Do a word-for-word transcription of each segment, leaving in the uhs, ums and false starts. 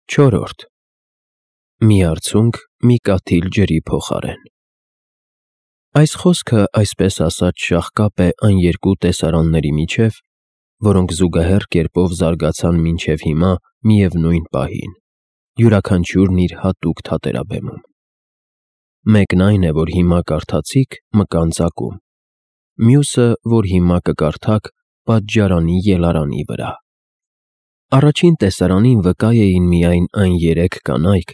Չորրորդ. Մի արցունք մի կաթիլ ջրի փոխարեն։ Այս խոսքը, այսպես ասած, շաղկապ է այն երկու տեսարանների միջև, որոնք զուգահեռ կերպով զարգացան մինչև հիմա միևնույն պահին, յուրաքանչյուրն իր հատուկ թատերաբեմում։ Մեկն այն է, որ հիմա կարդացիք մկան ծակում, մյուսը, որ հիմա կկարդաք պատժարանի ելարանի վրա։ Առաջին տեսարանին վկա էին միայն այն երեք կանայք,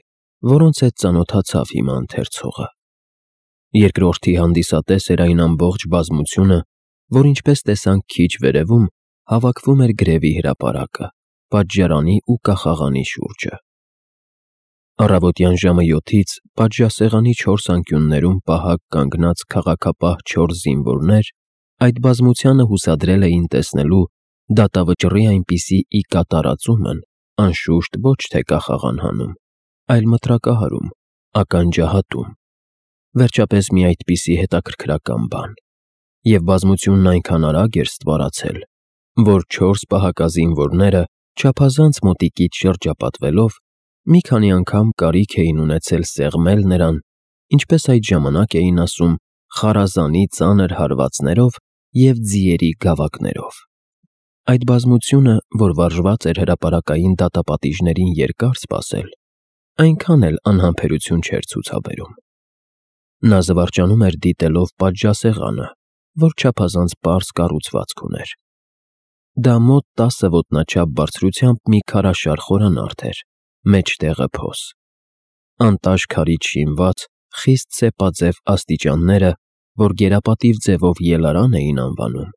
որոնց հետ ծանոթացավ հիմա ընթերցողը։ Երկրորդի հանդիսատես էր այն ամբողջ բազմությունը, որ ինչպես տեսանք քիչ վերևում, հավաքվում էր գրևի հրապարակը, պատժարանի ու կախաղանի շուրջը։ Առավոտյան ժամը յոթից պատժասեղանի չորս անկյուններում պահակ կանգնած քաղաքապահ չորս զինվորներ այդ բազմությանը հուսադրել էին տեսնելու դատավճռի այնպիսի ի կատարածումն, անշուշտ ոչ թե կախաղան հանում, այլ մտրակահարում, ականջահատում, վերջապես մի այդպիսի հետաքրքրական բան, և բազմությունն այնքան արագ էր ստվարացել, որ չորս պահակազինվորները չափազանց մոտիկից շրջապատվելով մի քանի անգամ կարիք էին ունեցել սեղմել նրան, ինչպես այդ ժամանակ էին ասում, խարազանի ծանր հարվածներով և ձիերի գավակներով։ Այդ բազմությունը, որ վարժված էր հրապարակային դատապատիժներին երկար սպասել, այնքան էլ անհամբերություն չէր ցուցաբերում։ Նա զվարճանում էր դիտելով պատժասեղանը, որ չափազանց պարզ կառուցվածք ուներ։ Դա մոտ տասը ոտնաչափ բարձրությամբ մի քարաշար խորանարդ էր, մեջտեղը փոս։ Անտաշ քարից շինված, խիստ սեպաձև աստիճանները, որ գերապատիվ ձևով ելարան էին անվանում,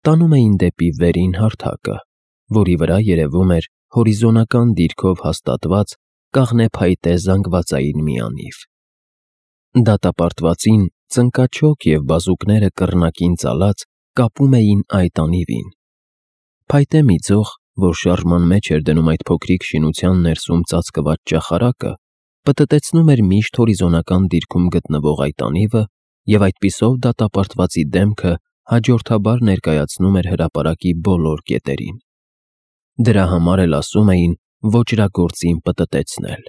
տանում էին դեպի վերին հարթակը, որի վրա երևում էր հորիզոնական դիրքով հաստատված կաղնե փայտե զանգվածային մի անիվ։ Դատապարտվածին ծնկաչոք և բազուկները կռնակին ծալած կապում էին այդ անիվին։ Փայտե մի ձող, որ շարժման մեջ էր դնում այդ փոքրիկ շինության ներսում ծածկված ճախարակը, պտտեցնում էր միշտ հորիզոնական դիրքում գտնվող այդ անիվը և այդպիսով դատապարտվածի դեմքը հաջորդաբար ներկայացնում էր հրապարակի բոլոր կետերին։ Դրա համար էլ ասում էին ոճրագործին պտտեցնել։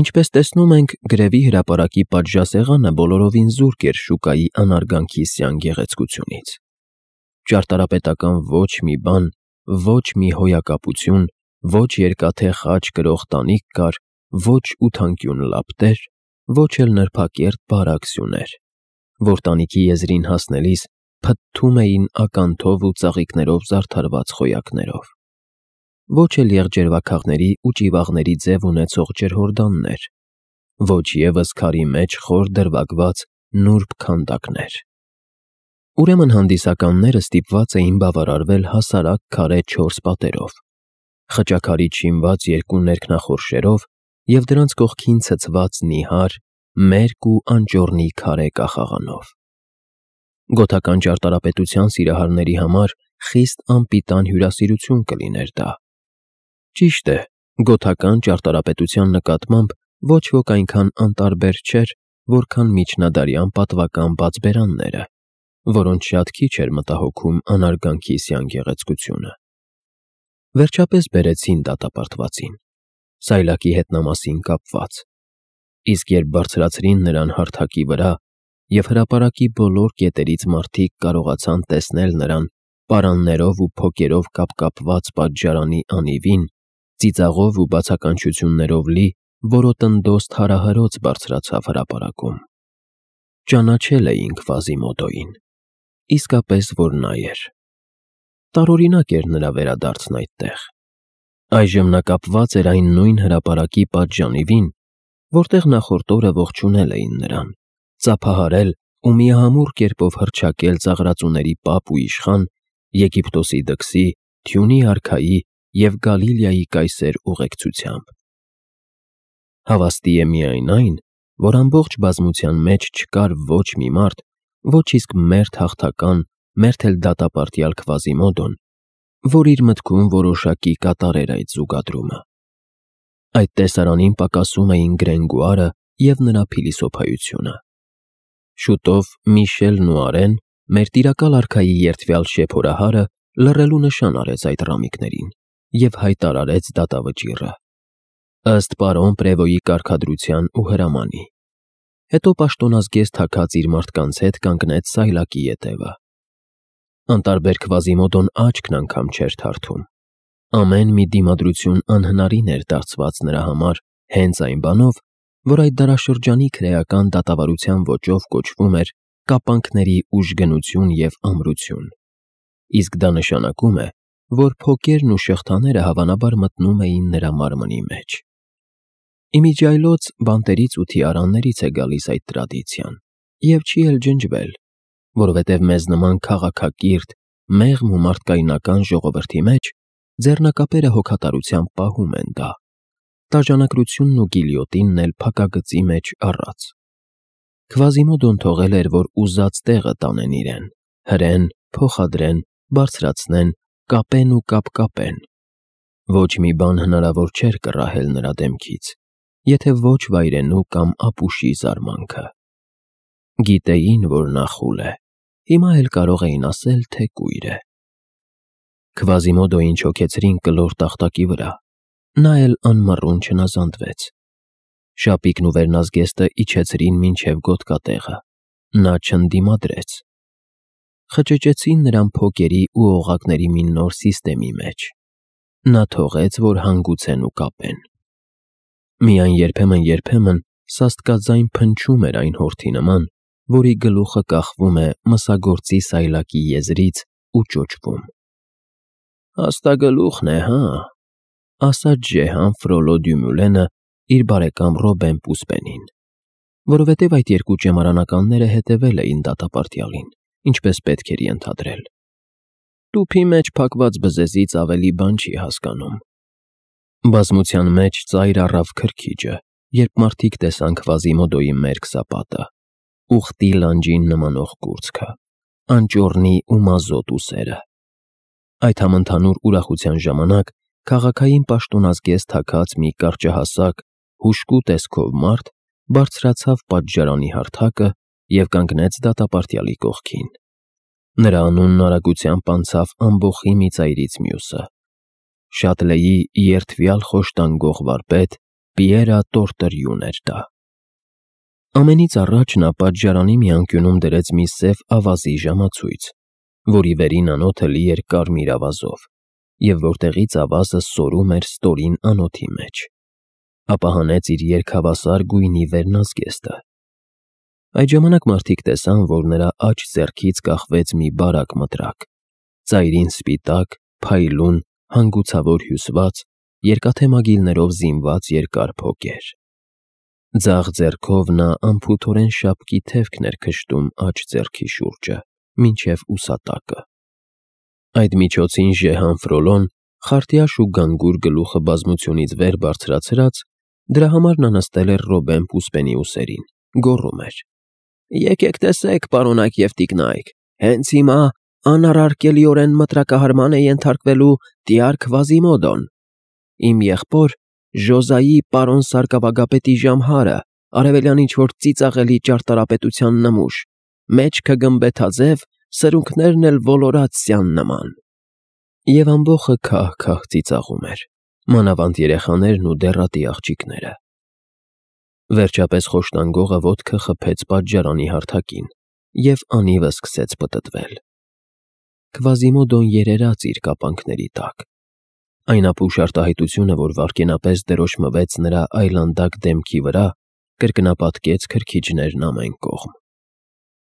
Ինչպես տեսնում ենք, գրևի հրապարակի պատժասեղանը բոլորովին զուրկ էր շուկայի անարգանքի սյան գեղեցկությունից։ Ճարտարապետական ոչ մի բան, ոչ մի հոյակապություն, ոչ երկաթե խաչ կրող տանիք կար, ոչ ութանկյուն լապտեր, ոչ էլ նրբակերտ բարակ սյուներ, որ տանիքի եզրին հասնելիս փթթում էին ականթով ու ծաղիկներով զարդարված խոյակներով, ոչ էլ եղջերվաքաղների ու ճիվաղների ձև ունեցող ջրհորդաններ, ոչ ևս քարի մեջ խոր դրվագված նուրբ քանդակներ։ Ուրեմն հանդիսականները ստիպված էին բավարարվել հասարակ քարե չորս պատերով, խճաքարից շինված երկու ներքնախորշերով և դրանց կողքին ցցված նիհար, մերկ ու անճոռնի քարե կախաղանով։ Գոթական ճարտարապետության սիրահարների համար խիստ անպիտան հյուրասիրություն կլիներ դա։ Ճիշտ է, գոթական ճարտարապետության նկատմամբ ոչ ոք այնքան անտարբեր չէր, որքան միջնադարյան պատվական բացբերանները, որոնց շատ քիչ էր մտահոգում անարգանքի սյան գեղեցկությունը։ Վերջապես բերեցին դատապարտվածին, սայլակի հետնամասին կապված, իսկ երբ բարձրացրին նրան հարթակի վրա և հրապարակի բոլոր կետերից մարդիկ կարողացան տեսնել նրան պարաններով ու փոկերով կապկապված պատժարանի անիվին, ծիծաղով ու բացականչություններով լի որոտնդոզ թարահրոց բարձրացավ հրապարակում։ Ճանաչել էին Քվազիմոդոյին, իսկապես որ նա էր։ Տարօրինակ էր նրա վերադարձն այդտեղ։ Այժմ նա կապված էր այն նույն հրապարակի պատժանիվին, որտեղ նախորդ օրը ողջունել էին նրան, ծափահարել ու միահամուռ կերպով հռչակել ծաղրածուների պապ ու իշխան, Եգիպտոսի դքսի, Թյունի արքայի և Գալիլեայի կայսեր ուղեկցությամբ։ Հավաստի է միայն այն, որ ամբողջ բազմության մեջ չկար ոչ մի մարդ, ոչ իսկ մերթ հաղթական, մերթ էլ դատապարտյալ Քվազիմոդոն, որ իր մտքում որոշակի կատարեր այդ զուգադրումը։ Այդ տեսարանին պակասում էին Գրենգուարը և նրա փիլիսոփայությունը։ Շուտով Միշելն ու Արեն, մեր տիրակալ արքայի երդվյալ շեփորահարը, լռելու նշան արեց այդ ռամիկներին և հայտարարեց դատավճիռը։ ըստ պարոն Պրևոյի կարգադրության ու հրամանի։ Հետո պաշտոնազգեստ թաքած իր մարդկանց հետ կանգնեց սայլակի ետևը։ Անտարբեր Քվազիմոդոն աչքն անգամ չէր թարթում։ Ամեն մի դիմադրություն անհնարին էր դարձված նրա համար հենց այն բանով, որ այդ դարաշրջանի քրեական դատավարության ոճով կոչվում էր կապանքների ուժգնություն և ամրություն։ Իսկ դա նշանակում է, որ փոկերն ու շղթաները հավանաբար մտնում էին նրա մարմնի մեջ։ Իմիջիայլոց բանտերից ու թիարաններից է գալիս այդ տրադիցիան, և չի էլ ջնջվել, որովհետև մեզ նման քաղաքակիրթ, մեղմ ու մարդկայնական ժողովրդի մեջ ձեռնակապերը հոգատարությամբ պահում են դա, տաժանակրությունն ու գիլյոտինն էլ փակագծի մեջ առած։ Քվազիմոդոն թողել էր, որ ուզած տեղը տանեն իրեն, հրեն, փոխադրեն, բարձրացնեն, կապեն ու կապկապեն։ Ոչ մի բան հնարավոր չէր կռահել նրա դեմքից, եթե ոչ վայրենու կամ ապուշի զարմանքը։ Գիտեին, որ նա խուլ է, հիմա էլ կարող էին ասել, թե կույր է։ Քվազիմոդոյին չոքեցրին կլոր տախտակի վրա, նա էլ անմռուն չնազանդվեց։ Շապիկն ու վերնազգեստը իջեցրին մինչև գոտկատեղը, նա չընդդիմադրեց։ Խճճեցին նրան փոկերի ու օղակների մի նոր սիստեմի մեջ։ Նա թողեց, որ հանգուցեն ու կապեն։ Միայն երբեմն-երբեմն սաստկաձայն փնչում էր այն հորթի նման, որի գլուխը կախվում է մսագործի սայլակի եզրից ու ճոճվում։ «Հաստագլուխն է, հա», ասաց Ժեհան Ֆրոլո Դյումուլենը իր բարեկամ Ռոբեն Պուսպենին, որովհետև այդ երկու ճեմարանականները հետևել էին դատապարտյալին, ինչպես պետք էր ենթադրել։ Տուփի մեջ փակված բզեզից ավելի բան չի հասկանում։ Բազմության մեջ ծայր առավ քրքիջը, երբ մարդիկ տեսան Քվազիմոդոյի մերկ սապատը, ուխտի լանջին նմանող կուրծքը, անճոռնի ու մազոտ ուսերը։ Այդ համընդհանուր ուրախության ժամանակ քաղաքային պաշտոնազգեստ թաքած մի կարճահասակ, հուժկու տեսքով մարդ բարձրացավ պատժարանի հարթակը և կանգնեց դատապարտյալի կողքին։ Նրա անունն արագությամբ անցավ ամբոխի մի ծայրից մյուսը։ Շատլեի երդվյալ խոշտանգող վարպետ Պիերա Տորտերյուն էր դա։ Ամենից առաջ նա պատժարանի մի անկյունում դրեց մի սև ավազի ժամացույց, որի վերին անոթը լի էր կարմիր ավազով, և որտեղից ավազը սորում էր ստորին անոթի մեջ։ Ապա հանեց իր երկհավասար գույնի վերնազգեստը։ Այդ ժամանակ մարդիկ տեսան, որ նրա աջ ձեռքից կախվեց մի բարակ մտրակ, ծայրին սպիտակ, փայլուն, հանգուցավոր հյուսված, երկաթե մագիլներով զինված երկար փոկեր։ Ձախ ձեռքով նա անփութորեն շապկի թևքն էր քշտում աջ ձեռքի շուրջը, մինչև ուսատակը։ Այդ միջոցին Ժեհան Ֆրոլոն, խարտյաշ ու գանգուր գլուխը բազմությունից վեր բարձրացրած, դրա համար նա նստել էր Ռոբեն Պուսպենի ուսերին, գոռում էր. «Եկեք տեսեք, պարոնայք և տիկնայք, հենց հիմա անառարկելիորեն մտրակահարման է ենթարկվելու տյար Քվազիմոդոն, իմ եղբոր Ժոզայի պարոն սարկավագապետի ժամհարը, արևելյան ինչ-որ ծիծաղելի ճարտարապետության նմուշ, մեջքը գմբեթաձև, սրունքներն էլ ոլորացիան նման»։ Եվ ամբոխը քահ-քահ ծիծաղում էր, մանավանդ երեխաներն ու դեռատի աղջիկները։ Վերջապես խոշտանգողը ոտքը խփեց պատժարանի հարթակին և անիվը սկսեց պտտվել։ Քվազիմոդոն երերաց իր կապանքների տակ։ Այն ապուշ արտահայտությունը, որ վայրկենապես դրոշմվեց նրա այլանդակ դեմքի վրա, կրկնապատկեց քրքիջներն ամեն կողմ։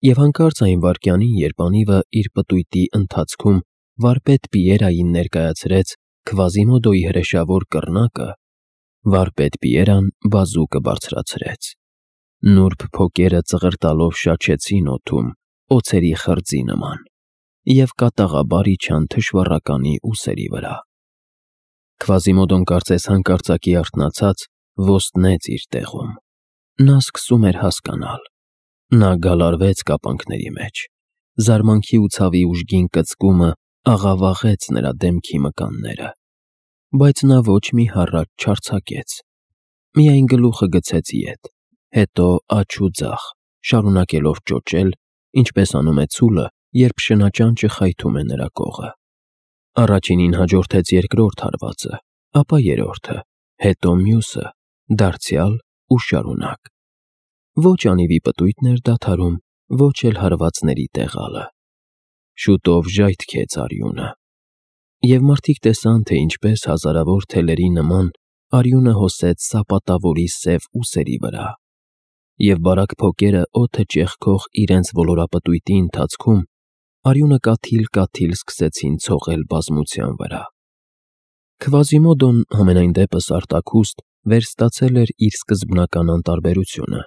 Եվ հանկարծ այն վայրկյանին, երբ անիվը իր պտույտի ընթացքում վարպետ Պիերային ներկայացրեց Քվազիմոդոյի հրեշավոր կռնակը, վարպետ Պիերան բազուկը բարձրացրեց։ Նուրբ փոկերը ծղրտալով շաչեցին օդում, օձերի խրձի նման, և կատաղաբար իջան թշվառականի ուսերի վրա։ Քվազիմոդոն կարծես հանկարծակի արթնացած, ոստնեց իր տեղում։ Նա սկսում էր հասկանալ։ Նա գալարվեց կապանքների մեջ։ Զարմանքի ու ցավի ուժգին կծկումը աղավաղեց նրա դեմքի մկանները, բայց նա ոչ մի հառաչ չարձակեց, միայն գլուխը գցեց ետ, հետո աջ ու ձախ, շարունակելով ճոճել, ինչպես անում է ցուլը, երբ շնաճանճը խայթում է նրա կողը։ Առաջինին հաջորդեց երկրորդ հարվածը, ապա երրորդը, հետո մյուսը, դարձյալ ու շարունակ։ Ոչ անիվի պտույտն էր դադարում, ոչ էլ հարվածների տեղալը։ Շուտով ժայթքեց արյունը, և մարդիկ տեսան, թե ինչպես հազարավոր թելերի նման արյունը հոսեց սապատավորի սև ուսերի վրա, և բարակ փոկերը օդը ճեղքող իրենց ոլորապտույտի ընթացքում արյունը կաթիլ-կաթիլ սկսեցին ցողել բազմության վրա։ Քվազիմոդոն համենայն դեպս արտաքուստ վերստացել էր իր սկզբնական անտարբերությունը։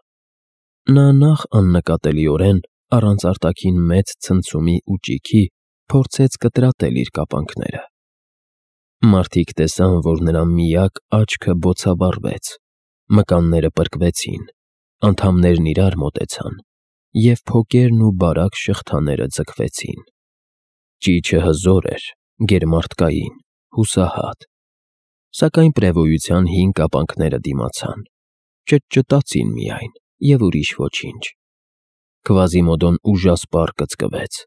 Նա նախ աննկատելիորեն, առանց արտաքին մեծ ցնցումի ու ճիգի, փորձեց կտրատել իր կապանքները։ Մարդիկ տեսան, որ նրա միակ աչքը բոցավառվեց, մկանները պրկվեցին, անդամներն իրար մոտեցան, և փոկերն ու բարակ շղթաները ձգվեցին։ Ճիչը հզոր էր, գերմարդկային, հուսահատ, սակայն պրևոյության հին կապանքները դիմացան, ճտճտացին միայն և ուրիշ ոչինչ։ Քվազիմոդոն ուժասպառ կծկվեց։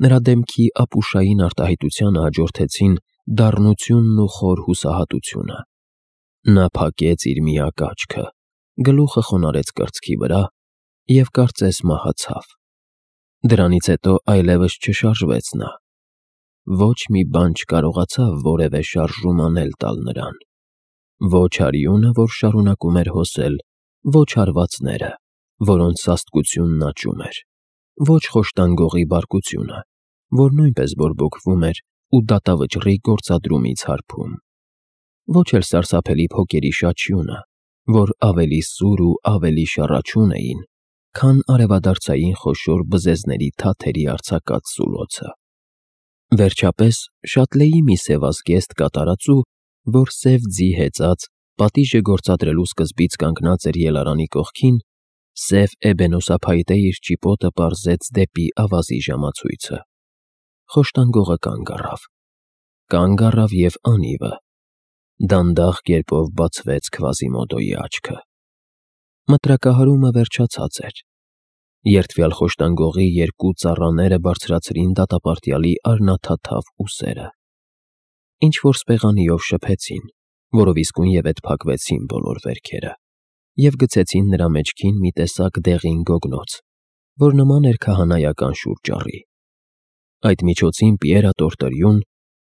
Նրա դեմքի ապուշային արտահայտությանը հաջորդեցին դառնությունն ու խոր հուսահատությունը։ Նա փակեց իր միակ աչքը, գլուխը խոնարհեց կրծքի վրա և կարծես մահացավ։ Դրանից հետո այլևս չշարժվեց նա։ Ոչ մի բան չկարողացավ որևէ շարժում անել տալ նրան։ Ոչ արյունը, որ շարունակում էր հոսել, ոչ հարվածները, որոնց սաստկությունն աճում էր, ոչ խոշտանգողի բարկությունը, որ նույնպես բորբոքվում էր ու դատավճռի գործադրումից հարբում, ոչ էլ սարսափելի փոկերի շաչյունը, որ ավելի սուր ու ավելի շառաչուն էին, քան արևադարձային խոշոր բզեզների թաթերի արձակած սուլոցը։ Վերջապես Շատլեի մի սևազգեստ կատարածու, որ սև ձի հեծած, պատիժը գործադրելու սկզբից կանգնած էր ելարանի կողքին, սև էբենոսափայտե իր ճիպոտը պարզեց դեպի ավազի ժամացույցը։ Խոշտանգողը կանգ առավ։ Կանգ առավ և անիվը։ Դանդաղ կերպով բացվեց Քվազիմոդոյի աչքը։ Մտրակահարումը վերջացած էր։ Երդվյալ խոշտանգողի երկու ծառաները բարձրացրին դատապարտյալի արնաթաթավ ուսերը։ Ինչ-որ սպեղանիով շփեցին, որով իսկույնևեթ փակվեցին բոլոր վերքերը, և գցեցին նրա մեջքին մի տեսակ դեղին գոգնոց, որ նման էր քահանայական շուրճառի։ Այդ միջոցին Պիերա Տորտորյուն,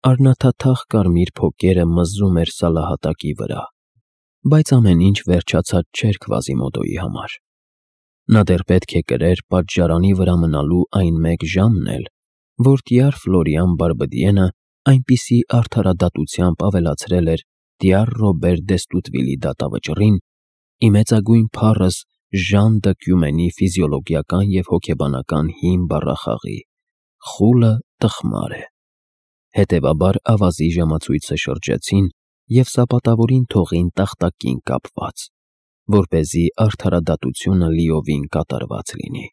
արնաթաթախ կարմիր փոկերը մզում էր սալահատակի վրա, բայց ամեն ինչ վերջացած չէր Քվազիմոդոյի համար։ Նա դեռ պետք է կրեր պատժարանի վրա մնալու այն մեկ ժամն էլ, որ տյար Ֆլորիան Բարբդիենը այնպիսի արդարադատությամբ ավելացրել էր տյար Ռոբեր Դեստուտվիլի դատավճռին, ի մեծագույն փառս Ժան դը Կյումենի ֆիզիոլոգիական և հոգեբանական հին բառախաղի՝ խուլը տխմար է։ Հետևաբար ավազի ժամացույցը շրջեցին և սապատավորին թողին տախտակին կապված, որպեսզի արդարադատությունը լիովին կատարված լինի։